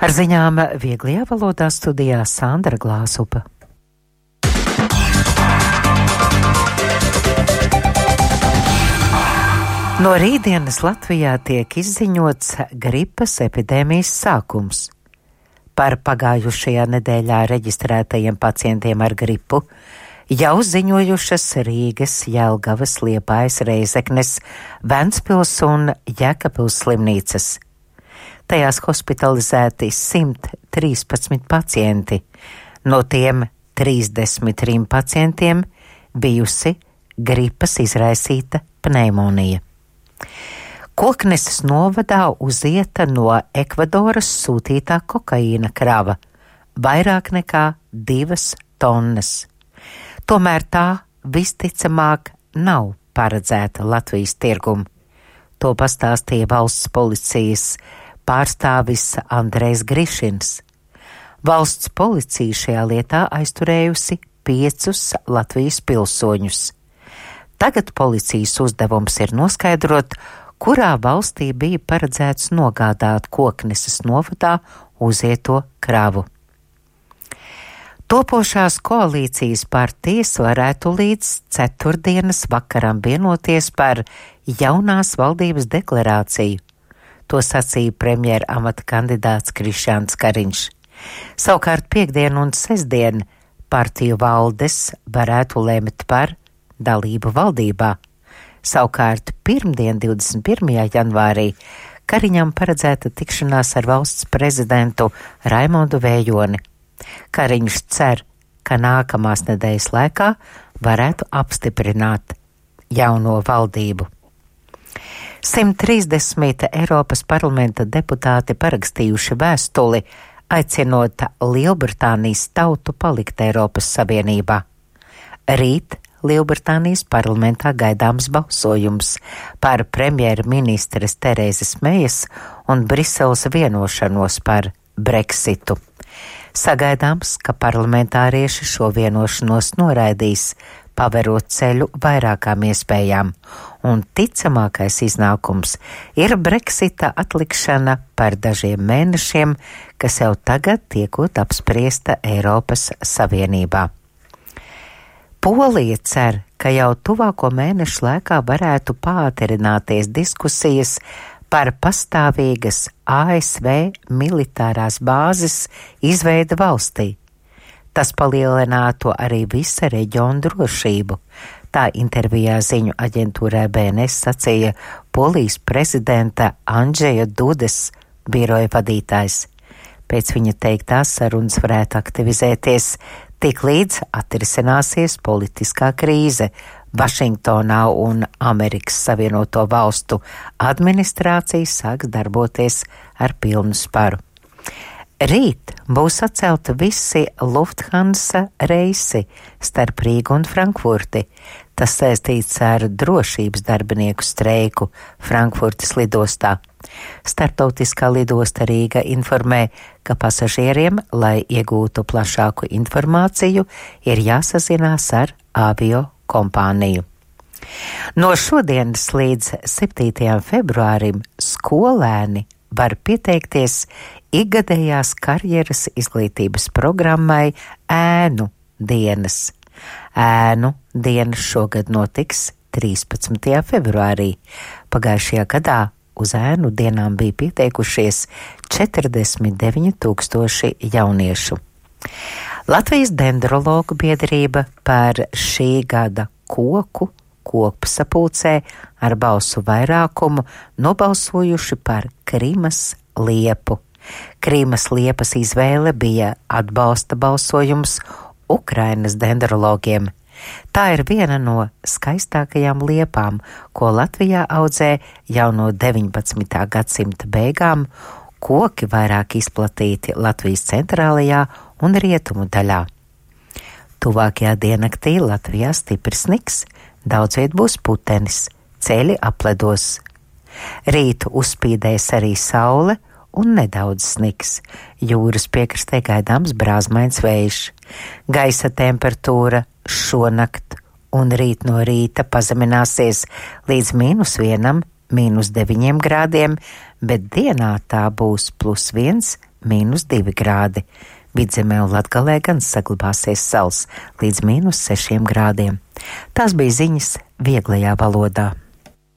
Ar ziņām vieglajā valodā studijā Sandra Glāzupa. No rītdienas Latvijā tiek izziņots gripas epidēmijas sākums. Par pagājušajā nedēļā reģistrētajiem pacientiem ar gripu jau ziņojušas Rīgas, Jelgavas, Liepājas, Reizeknes, Ventspils un Jēkabpils slimnīcas. Tajās hospitalizēti 113 pacienti, no tiem 33 pacientiem bijusi gripas izraisīta pneimonija. Kokneses novadā uzieta no Ekvadoras sūtītā kokaīna krava, vairāk nekā 2 tonnas. Tomēr tā visticamāk nav paredzēta Latvijas tirgumu. To pastāstīja valsts policijas pārstāvis Andrejs Grišins. Valsts policija šajā lietā aizturējusi 5 Latvijas pilsoņus. Tagad policijas uzdevums ir noskaidrot, kurā valstī bija paredzēts nogādāt Kokneses novadā uzieto kravu. Topošās koalīcijas partijas varētu līdz ceturtdienas vakaram vienoties par jaunās valdības deklarāciju. To sacīja premjera amata kandidāts Krišjāns Kariņš. Savukārt piekdien un sestdien partiju valdes varētu lemt par dalību valdībā. Savukārt pirmdien 21. janvārī Kariņam paredzēta tikšanās ar valsts prezidentu Raimondu Vējoni. Kariņš cer, ka nākamās nedēļas laikā varētu apstiprināt jauno valdību. 130 Eiropas parlamenta deputāti parakstījuši vēstuli, aicinot Lielbritānijas tautu palikt Eiropas Savienībā. Rīt Lielbritānijas parlamentā gaidāms balsojums par premjerministres Terēzes Mejas un Briseles vienošanos par Brexitu. Sagaidāms, ka parlamentārieši šo vienošanos noraidīs, paverot ceļu vairākām iespējām, un ticamākais iznākums ir Brexita atlikšana par dažiem mēnešiem, kas jau tagad tiekot apspriesta Eiropas Savienībā. Polija cer, ka jau tuvāko mēnešu laikā varētu pātrināties diskusijas par pastāvīgas ASV militārās bāzes izveidi valstī. Tas palielinātu arī visa reģiona drošību. Tā intervijā ziņu aģentūrai BNS sacīja Polijas prezidenta Andžeja Dudas biroja vadītājs. Pēc viņa teiktās sarunas varētu aktivizēties tik līdz atrisināsies politiskā krīze Vašingtonā un Amerikas Savienoto Valstu administrācija sāks darboties ar pilnu sparu. Rīt būs atcelti visi Lufthansa reisi starp Rīgu un Frankfurti. Tas saistīts ar drošības darbinieku streiku Frankfurtas lidostā. Startautiskā lidosta Rīga informē, ka pasažieriem, lai iegūtu plašāku informāciju, ir jāsazinās ar avio kompāniju. No šodienas līdz 7. februārim skolēni var pieteikties ikgadējās karjeras izglītības programmai Ēnu dienas. Ēnu dienas šogad notiks 13. februārī. Pagājušajā gadā uz ēnu dienām bija pieteikušies 49,000 jauniešu. Latvijas dendrologu biedrība par šī gada koku sapulcē ar balsu vairākumu nobalsojuši par Krimas liepu. Krimas liepas izvēle bija atbalsta balsojums Ukrainas dendrologiem. Tā ir viena no skaistākajām liepām, ko Latvijā audzē jau no 19. gadsimta beigām. Koki vairāk izplatīti Latvijas centrālajā un rietumu daļā. Tuvākajā diennaktī Latvijā stiprs sniks, daudzviet būs putenis, ceļi apledos. Rīt uzspīdēs arī saule un nedaudz sniks. Jūras piekrastē gaidāms brāzmains vējš. Gaisa temperatūra šonakt un rīt no rīta pazemināsies līdz -1, -9 grādiem, bet dienā tā būs +1, -2 grādi. Vidzemē un Latgalē gan saglabāsies sals līdz -6 grādiem. Tās bija ziņas vieglajā valodā.